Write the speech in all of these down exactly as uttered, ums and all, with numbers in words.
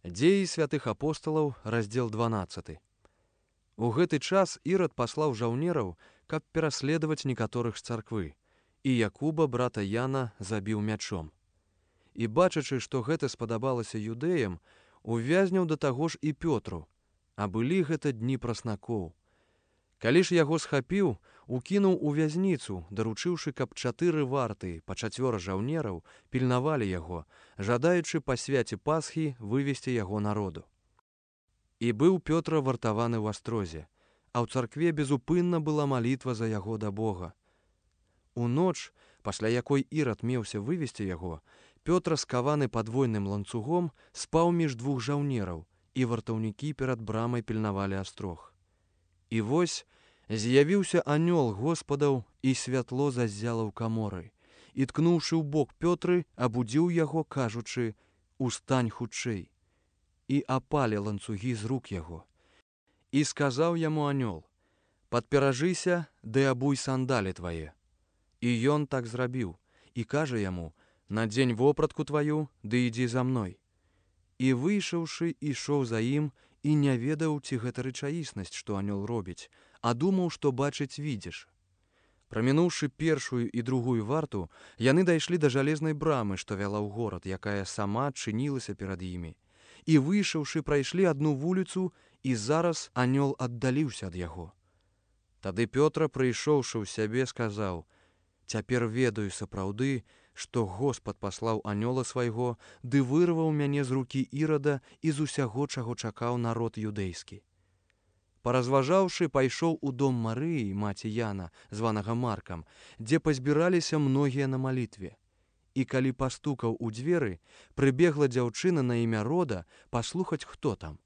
Дзеі святых апосталаў, раздзел дванаццаты. У гэты час Ірад паслаў жаўнераў, каб пераследаваць некаторых з царквы, і Якуба, брата Яна, забіў мячом. І бачачы, што гэта спадабалася юдэям, увязняў да таго ж і Пётру, а былі гэта дні праснакоў. Калі ж яго схапіў, укінуў у вязніцу, даручыўшы, каб чатыры варты па чацвёра жаўнераў пільнавалі яго, жадаючы па свяце Пасхі вывесці яго народу. І быў Пётра вартаваны ў астрозе, а ў царкве безупынна была малітва за яго да Бога. У ноч, пасля якой Ірад меўся вывесці яго, Пётра, скаваны падвойным ланцугом, спаў між двух жаўнераў, і вартаўнікі перад брамай пільнавалі астрог. І вось з'явіўся анёл Господаў, і святло заззяла ў каморы, і, ткнуўшы ў бок Пётры, абудзіў яго, кажучы: «Устань хутчэй!» І апалі ланцугі з рук яго. І сказаў яму анёл: «Падперажыся, ды абуй сандалі твае». І ён так зрабіў, і кажа яму: «Надзень вопратку тваю, ды ідзі за мной». І выйшаўшы, ішоў за ім, і не ведаў, ці гэта рэчаіснасць, што анёл робіць, а думаў, што бачыць відзіш. Прамінуўшы першую і другую варту, яны дайшлі да жалезнай брамы, што вяла ў горад, якая сама адчынілася перад імі. І выйшаўшы, прайшлі адну вуліцу, і зараз анёл аддаліўся ад яго. Тады Пётра, прыйшоўшы ў сябе, сказаў: «Цяпер ведаю сапраўды, што Господ паслаў анёла свайго, ды вырваў мяне з рукі Ірада і з усяго, чаго чакаў народ юдэйскі». Паразважаўшы, пайшоў у дом Марыі, маці Яна, званага Маркам, дзе пазбіраліся многія на малітве. І калі пастукаў у дзверы, прыбегла дзяўчына на імя Рода паслухаць, хто там.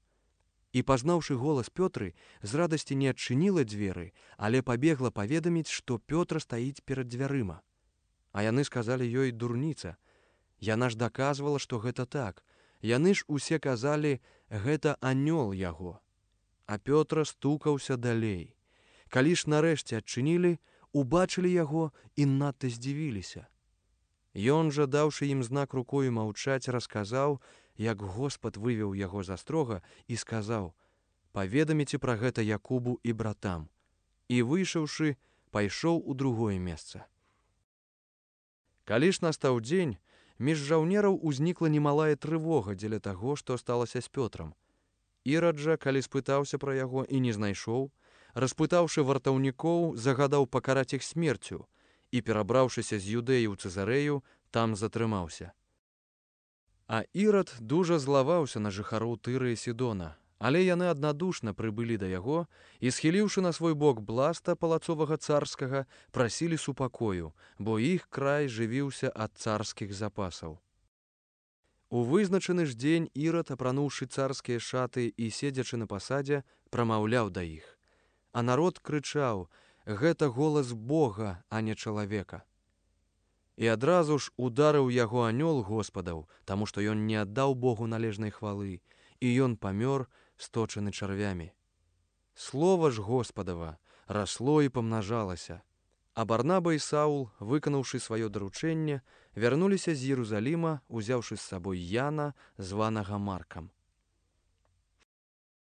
І, пазнаўшы голас Пётры, з радасці не адчыніла дзверы, але пабегла паведаміць, што Пётра стаіць перад дзвярыма. А яны сказалі ёй: «Дурніца». Яна ж даказвала, што гэта так. Яны ж усе казалі: «Гэта анёл яго». А Пётра стукаўся далей. Калі ж нарэшце адчынілі, убачылі яго і надта здзівіліся. Ён жа, даўшы ім знак рукою маўчаць, расказаў, як Господ вывеў яго з астрога, і сказаў: «Паведаміце пра гэта Якубу і братам». І, выйшаўшы, пайшоў у другое месца. Калі ж настаў дзень, між жаўнераў узнікла немалая трывога дзеля таго, што сталася з Пётрам. Ірад жа, калі спытаўся пра яго і не знайшоў, распытаўшы вартаўнікоў, загадаў пакараць іх смерцю, і, перабраўшыся з Юдэі ў Цэзарэю, там затрымаўся. А Ірад дужа злаваўся на жыхароў Тыры і Сідона, але яны аднадушна прыбылі да яго і, схіліўшы на свой бок бласта палацовага царскага, прасілі супакою, бо іх край жывіўся ад царскіх запасаў. У вызначаны ж дзень Ірад, апрануўшы царскія шаты і седзячы на пасадзе, прамаўляў да іх. А народ крычаў: «Гэта голас Бога, а не чалавека». І адразу ж ударыў яго анёл Господаў, таму што ён не аддаў Богу належнай хвалы, і ён памёр, сточаны чарвямі. Слова ж Господава расло і памнажалася. А Барнаба і Саул, выканаўшы сваё даручэнне, вярнуліся з Єрусаліма, узяўшы з сабой Яна, званага Маркам.